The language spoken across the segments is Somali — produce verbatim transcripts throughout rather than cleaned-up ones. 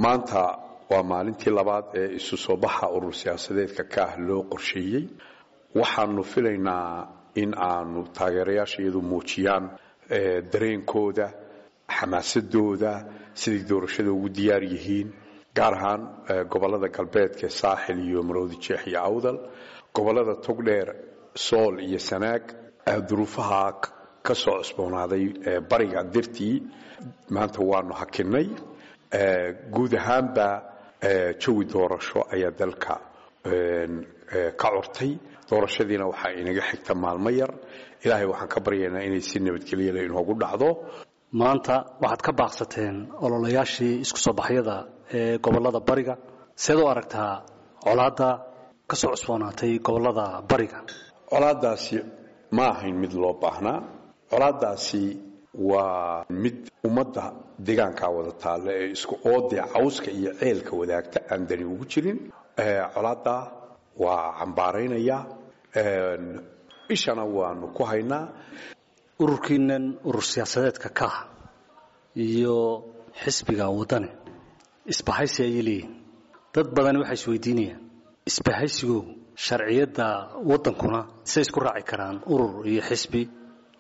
Maanta waa maalintii labaad ee isu soo baxa urur siyaasadeedka Kaah loo qorsheeyey. Waxaanu filaynaa in aanu taageerayaasha iyadu muujiyaan dareenkooda, xamaasadooda, siday doorashada ugu diyaar yihiin, gaar ahaan gobolada galbeedka Saaxil iyo Maroodi Jeex iyo Awdal, gobolada Togdheer, Sool iyo Sanaag. Duruufaha ka soo cusboonaaday bariga dartii maanta waanu hakinay. Guud ahaanba jawi doorasho ayaa dalka ka curtay, doorashadiina waxaa inaga xigta maalmo yar. Ilaahay waxaan ka baryaynaa inay si nabadgelyala inoogu dhacdo. Maanta waxaad ka baaqsateen ololayaashii isku soo baxyada ee gobolada bariga. Seed u aragtaa colaadda ka soo cusboonaatay gobolada bariga? Colaaddaasi ma ahayn mid loo baahnaa. Colaaddaasi waa mid ummadda deegaankaa wada taalla ee isku oodee cawska iyo ceelka wadaagta aan dani ugu jirin. Colaadda waa cambaaraynayaa, ishana waanu ku haynaa. Ururkiinan urur siyaasadeedka Kaah iyo xisbiga Waddani isbahaysi ayay leeyihin. Dad badani waxay isweydiinayaan isbahaysigu sharciyadda waddankuna say isku raaci karaan urur iyo xisbi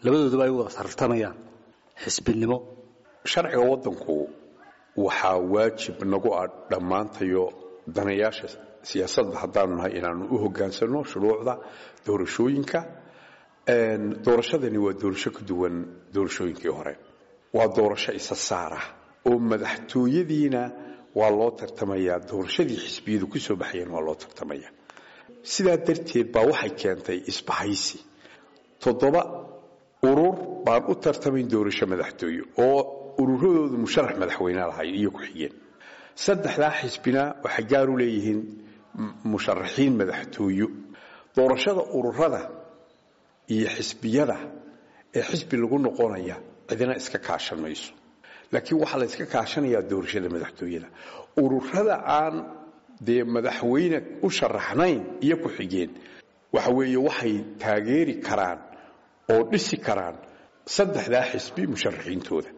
labadooduba ay u wada tartamayaan xisbinimo? Sharciga waddanku waxaa waajib nagu ah dhammaantayo danayaasha siyaasadda haddaanu nahay inaanu u hoggaansanno shuruucda doorashooyinka. Doorashadani waa doorasho ka duwan doorashooyinkii hore, waa doorasho isa saara oo madaxtooyadiina waa loo tartamayaa, doorashadii xisbiyadu ku soo baxayeen waa loo tartamaya. Sidaa darteed baa waxay keentay isbahaysi. Toddoba urur baan u tartamayn doorasho madaxtooye oo ururadoodu musharax madaxweyne lahayn iyo ku-xigeen. Saddexdaa xisbina waxay gaar u leeyihiin musharaxiin madaxtooyo. Doorashada ururada iyo xisbiyada ee xisbi lagu noqonaya cidina iska kaashan mayso, laakiin waxaa la iska kaashanayaa doorashada madaxtooyada. Ururada aan dee madaxweyne u sharaxnayn iyo ku-xigeen waxa weeye waxay taageeri karaan oo dhisi karaan saddexdaa xisbi musharaxiintooda.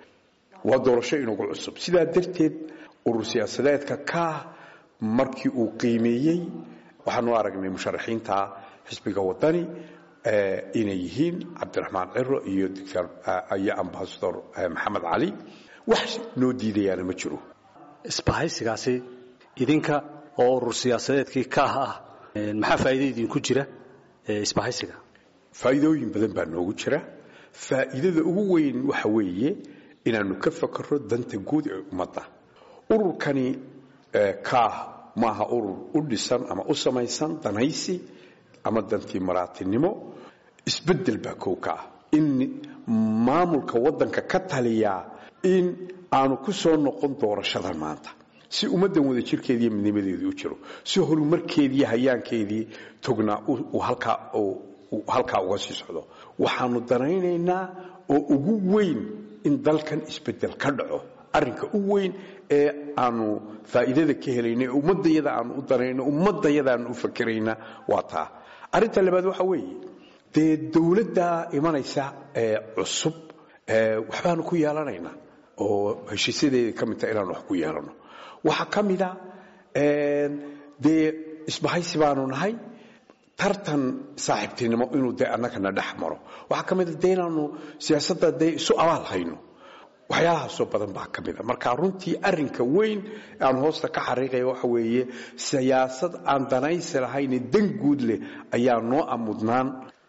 Waa doorasho inagu cusub. Sidaa darteed urur siyaasadeedka Kaah markii uu qiimeeyey waxaanu aragnay musharaxiinta xisbiga Waddani inay yihiin Cabdiraxmaan Ciro iyo doctor iyo ambasador Maxamed Cali. Wax noo diidayaana ma jiro. Isbahaysigaasi idinka oo urur siyaasadeedkii Kaah ah, maxaa faa'iido idinku jira isbahaysiga? Faa'iidooyin badan baa noogu jira. Faa'iidada ugu weyn waxa weeye inaanu ka fakaro danta guud ee ummadda. Ururkani Kaah maaha urur u dhisan ama u samaysan danaysi ama dantii maraatinimo. Isbeddel baa kow ka ah in maamulka waddanka ka taliyaa in aanu ku soo noqon doorashada maanta, si ummaddan wada jirkeediiyo midnimadeedii u jiro, si horumarkeediiyo hayaankeedii tognaa uu halkaa halkaa uga sii socdo. Waxaanu danaynaynaa oo ugu weyn in dalkan isbeddel ka dhaco. Arrinka u weyn ee aanu faa'iidada ka helayna, ee ummaddayada aanu u danayno, ummaddayada aanu u fakerayna waa taa. Arrinta labaad waxa weeye dee dowladda imanaysa ee cusub waxbaanu ku yeelanaynaa oo heshiisyadeeda ka mid taha inaanu wax ku yeelano. Waxaa ka mid a dee isbahaysi baanu nahay, tartan saaxiibtinimo inuu dee annagana dhex maro. Waxaa ka mid a dee inaanu siyaasadda dee isu abaal hayno. Waxyaalahaasoo badan baa ka mid a. Marka runtii arrinka weyn aan hoosta ka xariiqaya waxa weeye siyaasad aan danaysi lahayn, dan guud leh ayaa noo amudnaan.